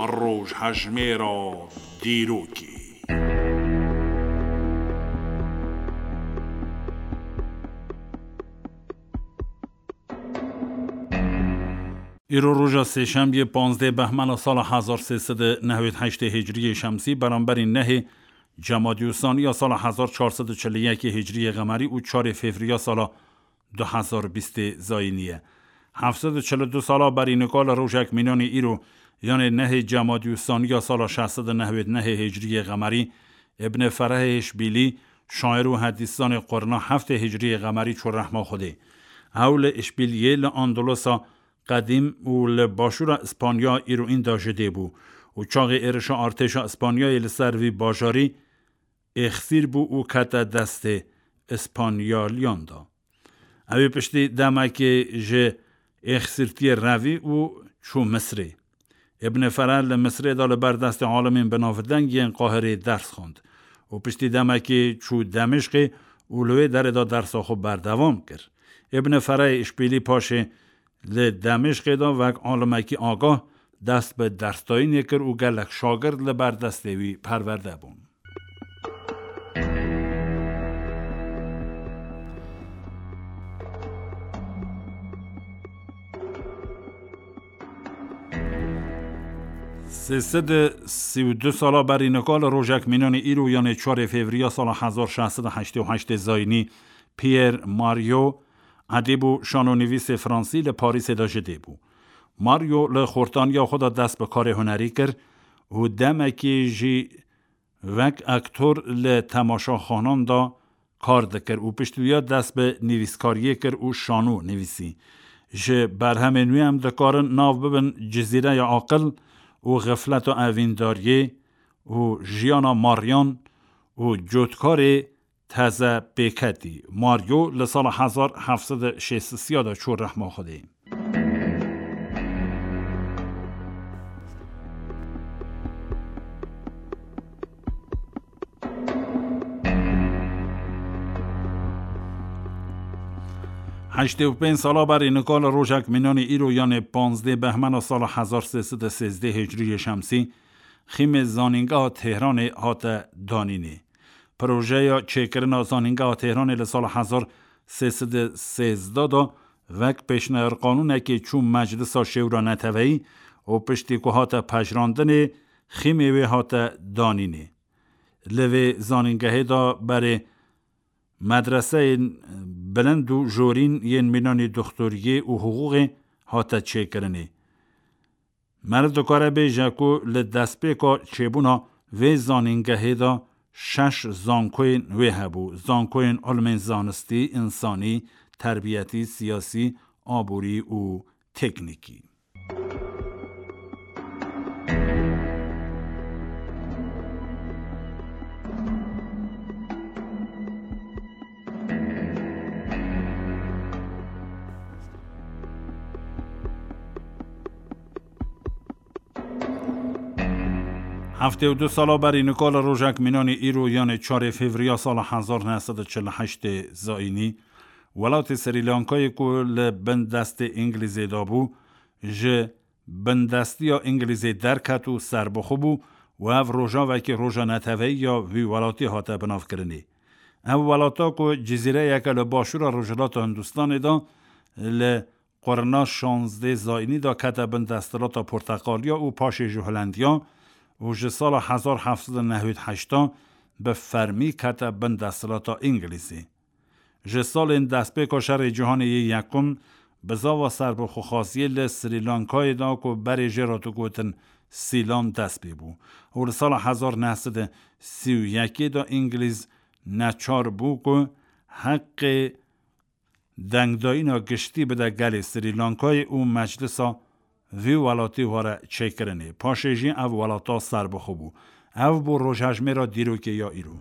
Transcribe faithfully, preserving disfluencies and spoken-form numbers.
Rojhejmêra dîrokê. Îro roja sêşemiyê, panzdeh behmena sala hezar sê sed û newêd heştê hicriyê şemsî, beramberî nehê cemadiyûsaniya sala hezar çar sed û çil û yekê hicriyê qemerî û çarê fevriya sala du hezar bîstê zayînî ye. Heft sed û çil û du sala berî nika li rojek mînanê îro, yanê nehê cemadiyûsaniya sala şeş sed û newêd nehê hicriyê qemerî, Ibn Ferehê Îşbîlî, şair û hedîsanê qurna heftê hicriyê qemerî çû rehma Xwedê. Ew li Îşbîliyê li Andulusa qedîm û li başûra Îspanya îroîn de ji dê bû û çaxê êrişa artêşa Îspanyayê li ser vî bajarî êxsîr bû û kete destê Îspanyaliyan de. Ew ê piştî demekê ji êxsîrtiyê revî û çû Misrê. Ibn Fereh li Misrê de li ber destê alimên binavdeng yên Qahirê ders xwend û piştî demekê çû Demişqê û li wê derê de dersa xwe berdewam kir. Ibn Ferehê Îşbîlî paşê li Demişqê de wek alimekî agah dest bi dersdayînê kir û gelek şagird li ber destê wî perwerde bûn. Sê sed û sî û du sala berî nika li rojek mînanê îro, yanê çarê fevriya sala hezar şeş sed û heştê û heştê zayînî, Pierre Mario, edîb û şanonivîsê fransî, li Parîsê de ji dê bû. Mario li xortaniya xwe de dest bi karê hunerî kir û demekê jî wek aktor li temaşaxanan de kar dikir û piştî wiya dest bi nivîskariyê kir û şano nivîsî. Ji berhemên wî em dikarin nav bibin Cizîreya Aqil û Xifleta Evîndariyê û Jiyana Maryan û Cotkarê Teze Pêketî. Mario li sala hezar heft sed û şêst û sê de çû rehma Xwedê. Heştê û pênc sala berî nika li rojek mînanê îro, yanê panzdeh behmena sala hezar sê sed û sêzdeh hicriyê şemsî, xîmê zanîngeha Tehranê hate danînê. Projeya çêkirina zanîngeha Tehranê li sala hezar sê sed û sêzdeh de wek pêşniyarqanûnekê çû Meclisa Şêwra Neteweyî û piştî ku hate pejirandinê, xîmê wê hate danînê. Li vê zanîngehê de berê medreseyên bilind û jorîn yên mînanî doxtoriyê û hiqûqê hate çêkirinê. Meriv dikare bêje ku li destpêka çêbûna vê zanîngehê de şeş zankoyên wê hebû: zankoyên ilmên zanistî, însanî, terbiyetî, siyasî, aborî û teknîkî. Heftê û du sala berî nika li rojek mînanê îro, yanê çarê fevriya sala hezar neh sed û çil û heştê zayînî, welatê Srî Lankayê ku li bin destê Îngilîzê de bû, ji bindestiya Îngilîzê derket û serbixwe bû û ev rojavekî roja neteweyî ya vî welatî hate binavkirinê. Ev welata ku cizîreyeke li başûra rojhilata Hindistanê de li qurna şazdeh zayînî de kete bin desthilata Porteqaliya û paşê ji Holendiya û ji sala hezar heft sed û newid heşt de bi fermî kete bin desthilata Îngilîzê. Ji salên destpêka Şerê Cîhanê yê Yekum bizava serbixwexwaziyê li Srî Lankayê de ku berê jê re digotin Sîlan dest pê bû û li sala hezar neh sed û sî û yekê de Îngilîz neçar bû ku heqê dengdayîna giştî bide gelê Srî Lankayê û meclisa vî welatî were çêkirinê. Paşê jî ev welata serbixwe bû. Ev bû rojhejmêra dîrokê ya îro.